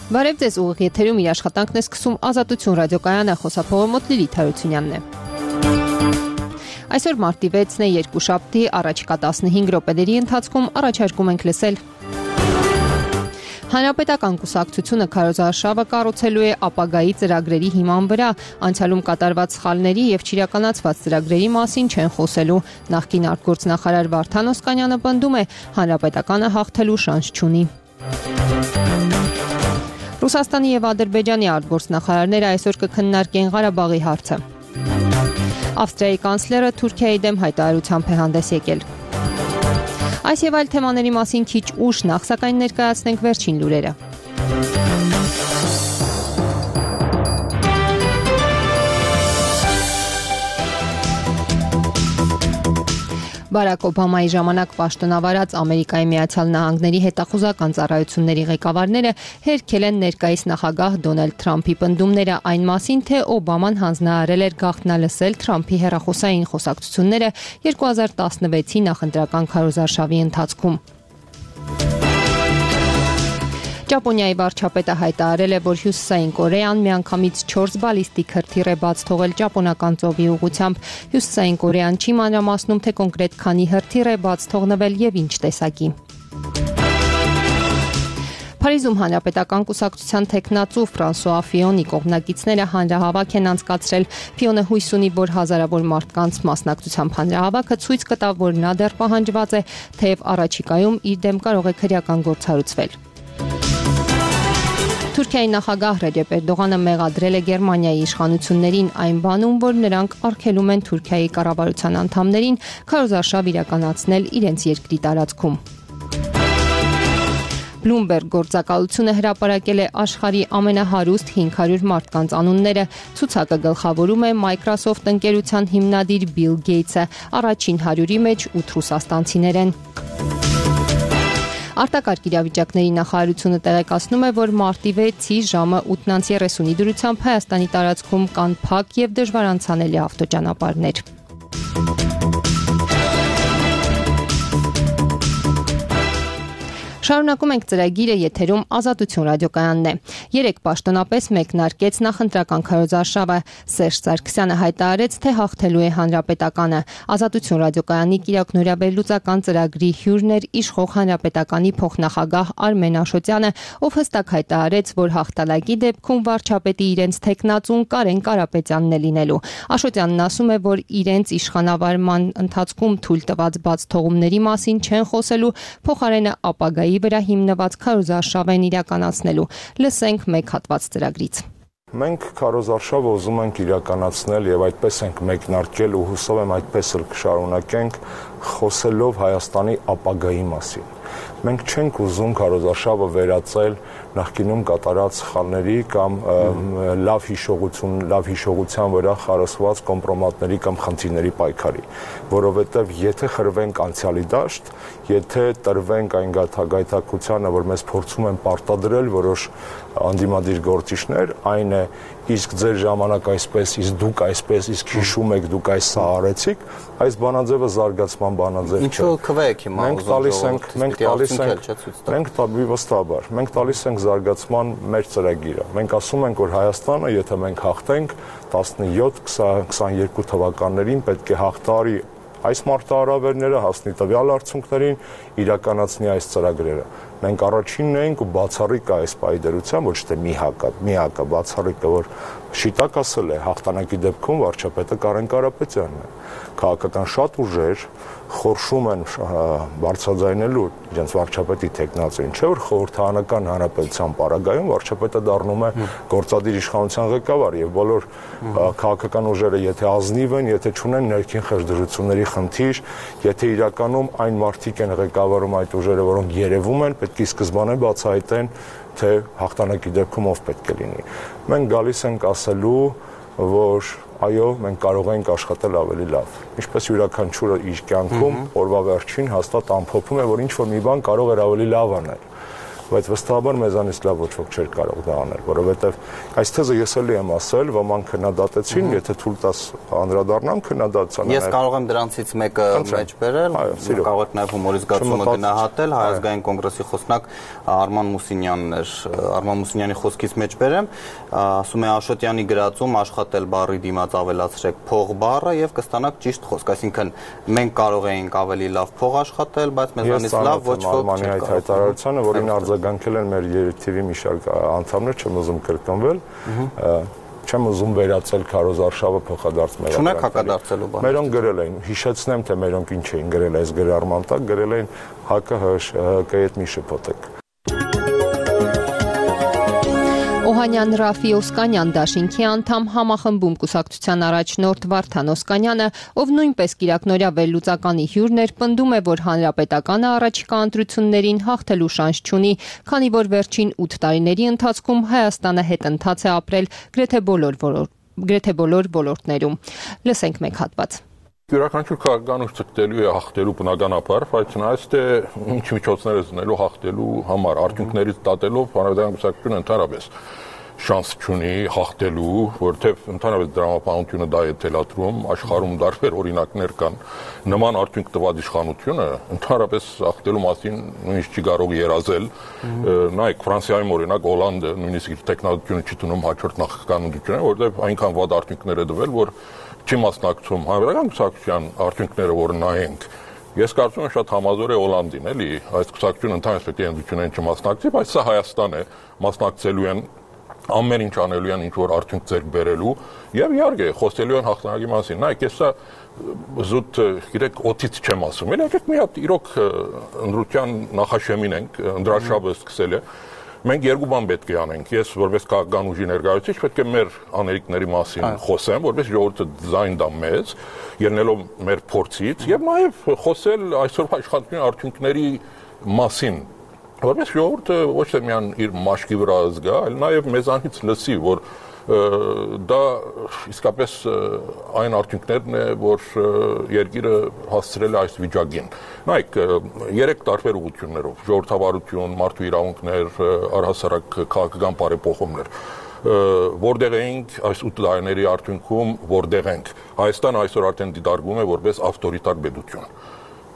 Բարև ձեզ, ուղիղ եթերում իր աշխատանքն է սկսում Ազատություն ռադիոկայանը, խոսափողը մոտ Լիլիթ Հարությունյանն է։ Այսօր մարտի 6-ն է, երկուշաբթի, առաջիկա 15 րոպեների ընթացքում առաջարկում ենք լսել. Հանրապետական կուսակցությունը քարոզարշավը կառուցելու է ապագայի ծրագրերի հիման վրա, անցյալում կատարված սխալների եւ չիրականացված ծրագրերի մասին չեն խոսելու։ Նախկին արտգործնախարար Վարդան Օսկանյանը պնդում է, հանրապետականը հաղթելու շանս չունի։ Ռուսաստանի եւ Ադրբեջանի արտգործնախարարները այսօր կքննարկեն Ղարաբաղի հարցը։ Ավստրիայի կանցլերը Թուրքիայի դեմ հայտարարությամբ է հանդես եկել։ Այս եւ այլ թեմաների մասին քիչ ուշ, նախ սակայն ներկայացնենք վերջին լուրերը։ Բարակ Օբամայի ժամանակ պաշտոնավարած Ամերիկայի Միացյալ Նահանգների հետախուզական ծառայությունների ղեկավարները հերքել են ներկայիս նախագահ Դոնալդ Թրամփի պնդումները այն մասին, թե Օբաման հանձնարարել էր գաղտնալսել Թրամփի հեռախոսային խոսակցությունները 2016-ի նախընտրական քարոզարշավի ընթացքում։ Ճապոնիայի վարչապետը հայտարարել է, որ Հյուսիսային Կորեան միանգամից 4 բալիստիկ հրթիռ է բաց թողել ճապոնական ծովի ուղղությամբ։ Հյուսիսային Կորեան չի մանրամասնում, թե կոնկրետ քանի հրթիռ է բաց թողնվել եւ ինչ տեսակի։ Փարիզում հանրապետական կուսակցության թեկնածու Ֆրանսուଆ Ֆիոնի կողմնակիցները հանրահավաք են անցկացրել։ Ֆիոնը հույս ունի, որ հազարավոր մարդկանց մասնակցությամբ հանրահավաքը ցույց կտա, որ նա դեռ պահանջված է, թեև առաջիկայում իր դեմ կարող է քրեական գործառույթ։ Թուրքիայի նախագահ Ռեջեփ Էրդողանը մեղադրել է Գերմանիայի իշխանություններին այն բանում, որ նրանք արգելում են Թուրքիայի կառավարության անդամներին քարոզարշավ իրականացնել իրենց երկրի տարածքում։ Bloomberg գործակալությունը հրապարակել է աշխարհի ամենահարուստ 500 մարդկանց անունները։ Ցուցակը գլխավորում է Microsoft ընկերության հիմնադիր Bill Gates-ը, առաջին 100-ի մեջ 8 ռուսաստանցիներ են։ Արտակարգ իրավիճակների նախարարությունը տեղեկացնում է, որ մարտի 6-ի ժամը 8:30-ի դրությամբ Հայաստանի տարածքում կան փակ եւ դժվար անցանելի ավտոճանապարհներ։ Շարունակում ենք ծրագիրը, եթերում Ազատություն ռադիոկայանն է։ Երեք պաշտոնապես մեկնարկեց նախընտրական քարոզարշավը։ Սերժ Սարգսյանը հայտարարեց, թե հաղթելու է հանրապետականը։ Ազատություն ռադիոկայանի կիրակնօրյա վերլուծական ծրագրի հյուրն էր իշխող հանրապետականի փոխնախագահ Արմեն Աշոտյանը, ով հստակ հայտարարեց, որ հաղթանակի դեպքում վարչապետի իրենց թեկնածուն Կարեն Կարապետյանն է լինելու։ Աշոտյանն ասում է, որ իրենց իշխանավարման ընթացքում թույլ տված բաց թողումների մասին չեն խոսելու, փոխարենը ապագայի վրա հիմնված քարոզարշավ են իրականացնելու։ Լսենք մեկ հատված ծրագրից։ Մենք քարոզարշավը ուզում ենք իրականացնել եւ այդպես ենք մեկնարկել ու հուսով եմ այդպես էլ կշարունակենք խոսելով Հայաստանի ապագայի մասին։ Մենք չենք ուզում քարոզարշավը վերածել նախկինում կատարած սխալների կամ լավ հիշողության վրա խարսված կոմպրոմատների կամ խնդիրների պայքարի, որովհետև եթե խրվենք անցյալի դաշտ, եթե տրվենք այն գայթակղությանը, որ մեզ փորձում են պարտադրել որոշ անդիմադիր գործիչներ, այն է իսկ ձեր ժամանակ այսպես, իսկ դուք այսպես, իսկ հիշում եք դուք այս սա արեցիք, այս բանաձևը զարգացման բանաձև չէ։ Ինչու քվեք հիմա մենք տալիս ենք զարգացման մեր ծրագիրը։ Մենք ասում ենք, որ Հայաստանը, եթե մենք հաղթենք 17-22 թվականներին պետք է հաղթարի այս մարտահրավերները, հասնի տվյալ արդյունքներին, իրականացնի այս ծրագրերը։ Մենք առաջինն ենք ու բացառիկ է այս պայդերության, ոչ թե միակը, բացառիկը, որ շիտակ ասել է հաղթանակի դեպքում վարչապետը Կարեն Կարապետյանն է։ Քաղաքական շատ ուժեր խորշում են բարձրաձայնելու իրենց վարչապետի թեկնածուին, չէ՞ որ խորհրդարանական հանրապետության պարագայում վարչապետը դառնում է գործադիր իշխանության ղեկավար եւ բոլոր քաղաքական ուժերը եթե ազնիվ են, եթե չունեն ներքին խժդժությունների խնդիր, եթե իրականում այն մարդիկ են ղեկավարում այդ ուժերը, որոնք երևում են, պետք է սկզբանե բացահայտեն, թե հաղթանակի դեպքում ով պետք է լինի։ Մենք գալիս ենք ասելու, որ այո, մենք կարող ենք աշխատել ավելի լավ։ Ինչպես յուրաքանչյուրը իր կյանքում օրվա վերջին հաստատ ամփոփում է, որ ինչ որ մի բան կարող էր ավելի լավ անել։ բայց վստահաբար մեզանից լավ ոչ ոք չէր կարող դա անել, որովհետև այս թեզը ես էլի եմ ասել, ոմանք քննադատեցին, եթե թույլ տաս անդրադառնամ քննադատության։ Ես կարող եմ դրանցից մեկը մեջ բերել, կարող եք նաև հումորի զգացումը գնահատել, Հայ ազգային կոնգրեսի խոսնակ Արման Մուսինյանն էր, Արման Մուսինյանի խոսքից մեջ բերեմ, ասում է Աշոտյանի գրածում աշխատել բառի դիմաց ավելացրեք փող բառը եւ կստանաք ճիշտ խոսք, այսինքն մենք կարող էինք ավելի լավ փող աշխատել, բայց մեզանից լավ ոչ ոք չէր կարող։ Որին արձագանքել են մեր երթիվի մի շարք անդամներ, չեմ ուզում կրկնվել, չեմ ուզում վերացել քարոզարշավը փոխադարձ մեր։ Չունեք հակադարձելու բան։ Մերոնք գրել էին, հիշեցնեմ, թե մերոնք ինչ էին գրել այս գրառման տակ, գրել էին ՀԿՀ-ի հետ մի շփոթեք։ Օհանյան Ռաֆի Օսկանյան դաշինքի անդամ համախմբում կուսակցության առաջնորդ Վարդան Օսկանյանը, ով նույնպես կիրակնօրյա վերլուծականի հյուրն էր, պնդում է, որ հանրապետականը առաջիկա ընտրություններին հաղթելու շանս չունի, քանի որ վերջին 8 տարիների ընթացքում Հայաստանը հետընթաց է ապրել գրեթե բոլոր ոլորտներում։ Լսենք մեկ հատված։ Յուրաքանչյուր քաղաքականուց ցկտելու է հաղթելու բնականաբար, բայց նայած թե ինչ միջոցներ է զնելու հաղթելու համար, արդյունքներից դատելով հանրապետական կուսակցությունը ընդհանրապես շանս չունի հաղթելու, որովհետև ընդհանրապես դրամապանությունը դա է թելադրում, աշխարհում տարբեր օրինակներ կան, նման արդյունք տված իշխանությունը ընդհանրապես հաղթելու մասին նույնիսկ չի կարող երազել, նայեք Ֆրանսիայում օրինակ Հոլանդը նույնիսկ իր տեխնոլոգիությունը չի տունում հաջորդ նախագահական ընտրություններին, որովհետև այնքան վատ արդյունքներ է տվել, որ չի մասնակցում հանրապետական կուսակցության արդյունքները, որ նայենք։ Ես կարծում եմ շատ համազոր է Հոլանդին, էլի, այս կուսակցությունը ընդհանրապես պետք է ընտրություններին չմասնակցի, բայց սա Հայաստան է, մասնակցելու են ամեն ինչ անելու են, ինչ որ արդյունք ձեռք բերելու եւ իհարկե խոսելու են հաղթանակի մասին։ Նայեք, ես սա զուտ գիտեք օթից չեմ ասում։ Եկեք մի հատ իրոք ընտրության նախաշեմին ենք, ընդրաշաբը սկսել է։ Մենք երկու բան պետք է անենք։ Ես որպես քաղաքական ուժի ներկայացուցիչ պետք է մեր անելիքների մասին խոսեմ, որպես ժողովուրդը ձայն տա մեզ, ելնելով մեր փորձից եւ նաեւ խոսել այսօրվա աշխատանքի արդյունքների մասին, որպես ժողովուրդը ոչ թե միայն իր մաշկի վրա զգա, այլ նաեւ մեզանից լսի, որ դա իսկապես այն արդյունքներն է, որ երկիրը հասցրել է այս վիճակին։ Նայեք, 3 տարբեր ուղղություններով՝ ժողովրդավարություն, մարդու իրավունքներ, առհասարակ քաղաքական բարեփոխումներ, որտեղ էինք այս 8 տարիների արդյունքում, որտեղ ենք։ Հայաստանը այսօր արդեն դիտարկվում է որպես ավտորիտար պետություն։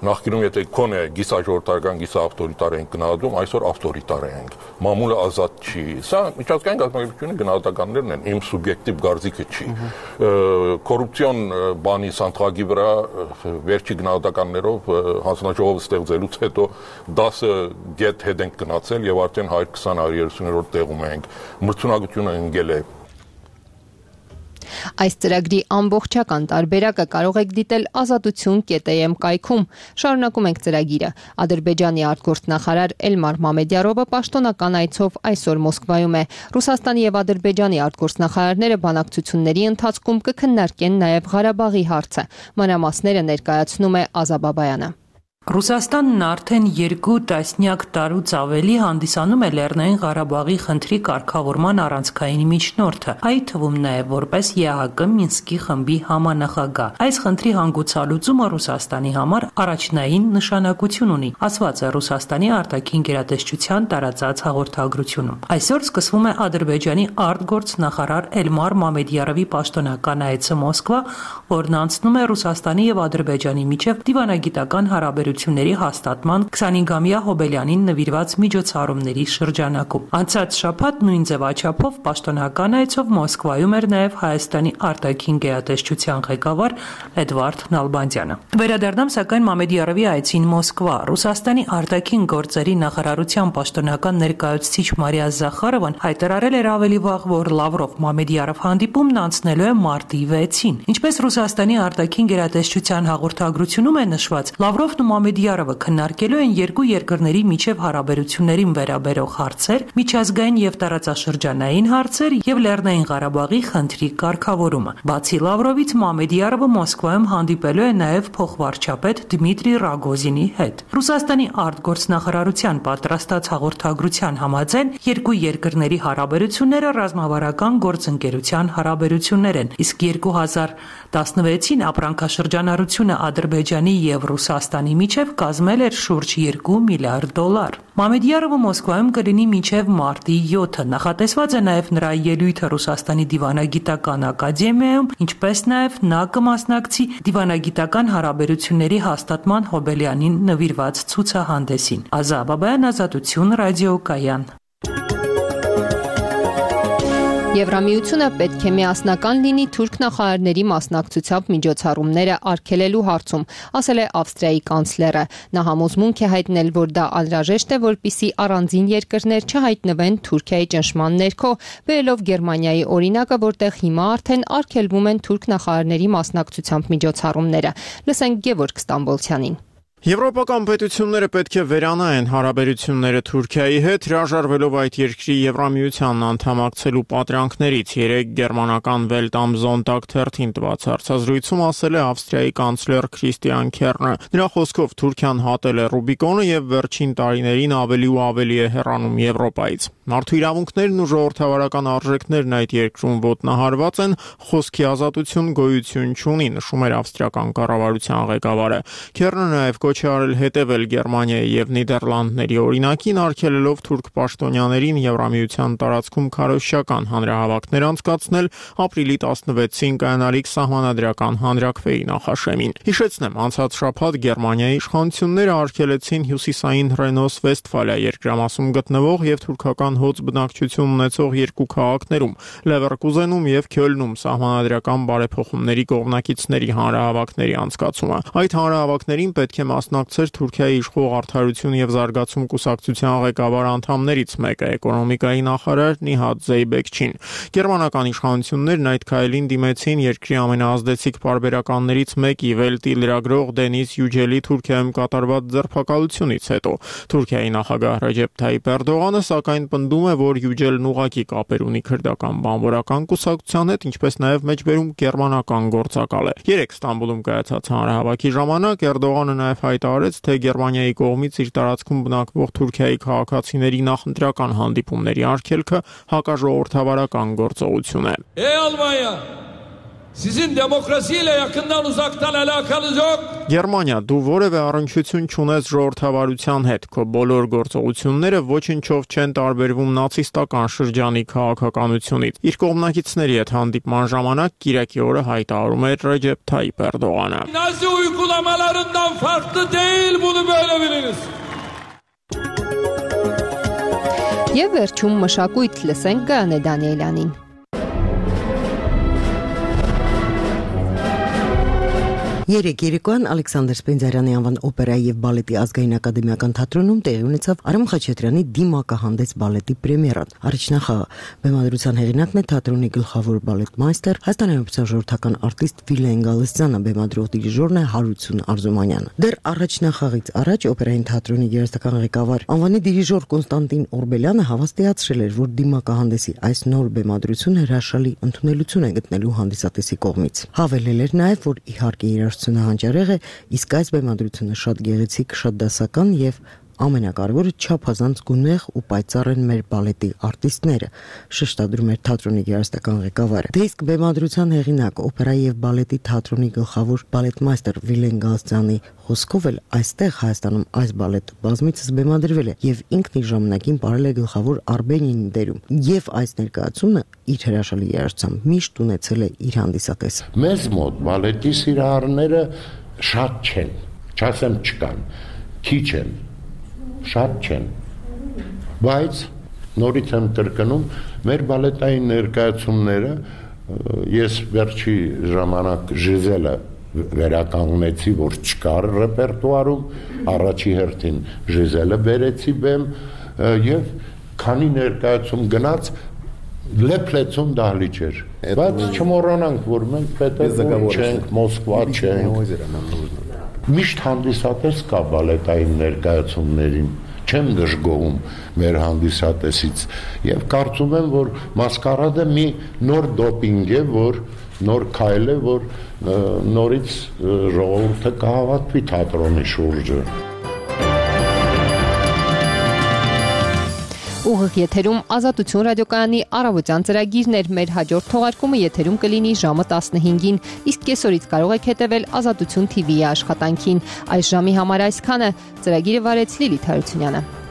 Նախկինում եթե քոնե գիսաժողովրդական գիսաավտորիտար ենք գնահատում, այսօր ավտորիտար ենք։ Մամուլը ազատ չի։ Սա միջազգային կազմակերպությունների գնահատականներն են, իմ սուբյեկտիվ կարծիքը չի։ Կոռուպցիոն բանի սանթղագի վրա վերջի գնահատականներով հանձնաժողովը ստեղծելուց հետո 10 գետ հետ ենք գնացել եւ արդեն 120-130-րդ տեղում ենք։ Մրցունակությունը ընկել է։ Այս ծրագրի ամբողջական տարբերակը կարող եք դիտել azatutun.am կայքում։ Շարունակում ենք ծրագիրը։ Ադրբեջանի արտգործնախարար Էլմար Մամեդյարովը պաշտոնական այցով այսօր Մոսկվայում է։ Ռուսաստանի եւ Ադրբեջանի արտգործնախարարները բանակցությունների ընթացքում կքննարկեն նաեւ Ղարաբաղի հարցը։ Մանրամասները ներկայացնում է Ազաբաբայանը։ Ռուսաստանն արդեն 2 տասնյակ տարուց ավելի հանդիսանում է Լեռնային Ղարաբաղի խնդրի կարգավորման առանցքային միջնորդը, այդ թվում նաև որպես ԵԱՀԿ Մինսկի խմբի համանախագահ։ Այս խնդրի հանգուցալուծումը Ռուսաստանի համար առաջնային նշանակություն ունի, ասված է Ռուսաստանի արտաքին գերատեսչության տարածած հաղորդագրությունում։ Այսօր սկսվում է Ադրբեջանի արտգործնախարար Էլմար Մամեդյարովի պաշտոնական այցը Մոսկվա, որն անցնում է Ռուսաստանի եւ Ադրբեջանի միջև դիվանագիտական հարաբերությունների հաստատման 25-ամյա Հոբելյանին նվիրված միջոցառումների շրջանակում։ Անցած շաբաթ նույն ձևաչափով պաշտոնական այցով Մոսկվայում էր նաև Հայաստանի արտաքին գերատեսչության ղեկավար Էդվարդ Նալբանդյանը։ Վերադառնամ սակայն Մամեդյարովի այցին Մոսկվա։ Ռուսաստանի արտաքին գործերի նախարարության պաշտոնական ներկայացուցիչ Մարիա Զախարովան հայտարարել էր ավելի վաղ, որ Լավրով-Մամեդյարով հանդիպումն անցնելու է մարտի 6-ին։ Ինչպես Ռուսաստանի արտաքին գերատեսչության հաղորդագրությունում է նշված, Լավրովն ու Մամեդյարովը քննարկելու են երկու երկրների միջև հարաբերություններին վերաբերող հարցեր, միջազգային եւ տարածաշրջանային հարցեր եւ Լեռնային Ղարաբաղի խնդրի կարգավորումը։ Բացի Լավրովից Մամեդյարովը Մոսկվայում հանդիպելու է նաեւ փոխվարչապետ Դմիտրի Ռագոզինի հետ։ Ռուսաստանի արտգործնախարարության պատրաստած հաղորդագրության համաձայն երկու երկրների հարաբերությունները ռազմավարական գործընկերության հարաբերություններ են, իսկ 2016-ին ապրանքաշրջանառությունը Ադրբեջանի եւ Ռուսաստանի միջև մինչև կազմել էր շուրջ $2 միլիարդ։ Մամեդյարովը Մոսկվայում կլինի մինչև մարտի 7-ը։ Նախատեսված է նաև նրա ելույթը Ռուսաստանի դիվանագիտական ակադեմիայում, ինչպես նաև նա կմասնակցի դիվանագիտական հարաբերությունների հաստատման Հոբելյանին նվիրված ցուցահանդեսին։ Ազա Բաբայան, Ազատություն, ռադիոկայան։ Եվրամիությունը պետք է միասնական լինի թուրք նախարարների մասնակցությամբ միջոցառումները արգելելու հարցում, ասել է Ավստրիայի կանցլերը։ Նա համոզմունք է հայտնել, որ դա անհրաժեշտ է, որպեսզի առանձին երկրներ չհայտնվեն Թուրքիայի ճնշման ներքո, բերելով Գերմանիայի օրինակը, որտեղ հիմա արդեն արգելվում են թուրք նախարարների մասնակցությամբ միջոցառումները։ Լսենք Գևորգ Ստամբոլցյանին։ Եվրոպական պետությունները պետք է վերանայեն հարաբերությունները Թուրքիայի հետ, հրաժարվելով այդ երկրի Եվրամիությանն անդամակցելու պատրանքներից։ Երեկ գերմանական Welt am Sonntag թերթին տված հարցազրույցում ասել է Ավստրիայի կանցլեր Քրիստիան Քեռնը։ Նրա խոսքով Թուրքիան հատել է Ռուբիկոնը եւ վերջին տարիներին ավելի ու ավելի է հեռանում Եվրոպայից։ Մարդու իրավունքներն ու ժողովրդավարական արժեքներն այդ երկրում ոտնահարված են, խոսքի ազատություն գոյություն չունի, նշում էր ավստրիական կառավարության ղեկավարը։ Քեռնը նաեւ կոչ է արել հետևել Գերմանիայի եւ Նիդերլանդների օրինակին, արգելելով թուրք պաշտոնյաներին Եվրամիության տարածքում քարոզչական հանրահավաքներ անցկացնել ապրիլի 16-ին կայանալիք սահմանադրական հանրաքվեի նախաշեմին։ Հիշեցնեմ, անցած շաբաթ Գերմանիայի իշխանությունները արգելեցին հյուսիսային Ռենոս-Վեստֆալիա երկրամասում գտնվող եւ թուրքական հոծ բնակչություն ունեցող երկու քաղաքներում՝ Լևերկուզենում եւ Քյոլնում սահմանադրական բարեփոխումների կողմնակիցների հանրահավաքների անցկացումը։ Այդ հանրահավաքներին պետք է մասնակցեր Թուրքիայի իշխող արդարություն եւ զարգացում կուսակցության ղեկավար անդամներից մեկը, էկոնոմիկայի նախարար Նիհատ Զեյբեքչին։ Գերմանական իշխանություններն այդ քայլին դիմեցին երկրի ամենաազդեցիկ պարբերականներից մեկի Վելտի լրագրող Դենիս Յուջելի Թուրքիայում կատարված ձերբակալությունից հետո։ Թուրքիայի նախագահ Ռեջեփ Թայիփ Էրդողանը սակայն պնդում է, որ Յուջելն ուղղակի կապեր ունի քրդական բանվորական կուսակցության հետ, ինչպես նաև մեջբերում գերմանական գործակալ է։ Երեք Ստամբուլում կայացած հանրահավաքի ժամանակ Էրդողանը նաև հայտարարեց, թե Գերմանիայի կողմից իր տարածքում բնակվող Թուրքիայի քաղաքացիների նախընտրական հանդիպումների արգելքը հակաժողովրդավարական գործողություն է։ Almanya, sizin demokrasiyle yakından uzaktan alakanız yok. Գերմանիա, դու որևէ առնչություն չունես ժողովրդավարության հետ, քո բոլոր գործողությունները ոչնչով չեն տարբերվում նացիստական շրջանի քաղաքականությունից։ Իր կողմնակիցների հետ հանդիպման ժամանակ Կիրակի օրը հայտարարում էր Ռեջեփ Թայիփ Էրդողանը։ Nazi uygulamalarından farklı değil, bunu böyle biliniz. Եվ վերջում մշակույթ լսենք Գայանե Դանիելյանին։ Երեկ երեկոյան Ալեքսանդր Սպենդիարյանի անվան օպերայի եւ բալետի ազգային ակադեմիական թատրոնում տեղի ունեցավ Արամ Խաչատրյանի Դիմակահանդես բալետի պրեմիերան։ Առաջնախաղը բեմադրության հեղինակն է թատրոնի գլխավոր բալետմայստեր, Հայաստանի Հանրապետության ժողովրդական արտիստ Վիլեն Գալստյանը, բեմադրող դիրիժորն է Հարություն Արզումանյանը։ Դեռ առաջնախաղից առաջ օպերային թատրոնի երաժշտական ղեկավար անվանի դիրիժոր Կոնստանտին Օրբելյանը հավաստիացրել էր, որ Դիմակահանդեսի այս նոր բեմադրությունը հրաշալի ընդունելություն է գտնելու հանդիսատեսի կողմից։ Հավելել էր նաև, որ իհարկե երաժշտությունը հանճարեղ է, իսկ այս բեմադրությունը շատ գեղեցիկ, շատ դասական եւ ամենակարևորը չափազանց գունեղ ու պայծառ են մեր բալետի արտիստները, շեշտադրում էր թատրոնի երաժշտական ղեկավարը։ Դե իսկ բեմադրության հեղինակ, օպերայի եւ բալետի թատրոնի գլխավոր բալետմայստեր Վիլեն Գալստյանի խոսքով էլ այստեղ Հայաստանում այս բալետը բազմիցս բեմադրվել է եւ ինքն իր ժամանակին parել է գլխավոր Արբենինի դերում եւ այս ներկայացումը իր հրաշալի երաժշտությամբ միշտ ունեցել է իր հանդիսատեսը։ Մեզ մոտ բալետի սիրահարները շատ չեն, չասեմ չկան, քիչ են, շատ չեն, բայց նորից եմ կրկնում, մեր բալետային ներկայացումները ես վերջի ժամանակ Ժիզելը վերականգնեցի, որ չկար ռեպերտուարում, առաջի հերթին Ժիզելը բերեցի բեմ եւ քանի ներկայացում գնաց լեփլեցում դահլիճ էր, բայց չմոռանանք, որ մենք Պետերբուրգ չենք, Մոսկվա չենք, միշտ հանդիսատես կա բալետային ներկայացումներին, չեմ դժգոհում մեր հանդիսատեսից եւ կարծում եմ, որ մասկարադը մի նոր դոպինգ է, որ նոր քայլ է, որ նորից ժողովուրդը կհավատվի թատրոնի շուրջը։ Ուղիղ եթերում Ազատություն ռադիոկայանի առավոտյան ծրագիրն էր, մեր հաջորդ թողարկումը եթերում կլինի ժամը 15-ին, իսկ կեսօրից կարող եք հետևել Ազատություն TV-ի աշխատանքին։ Այս ժամի համար այսքանը, ծրագիրը վարեց Լիլիթ Հարությունյանը։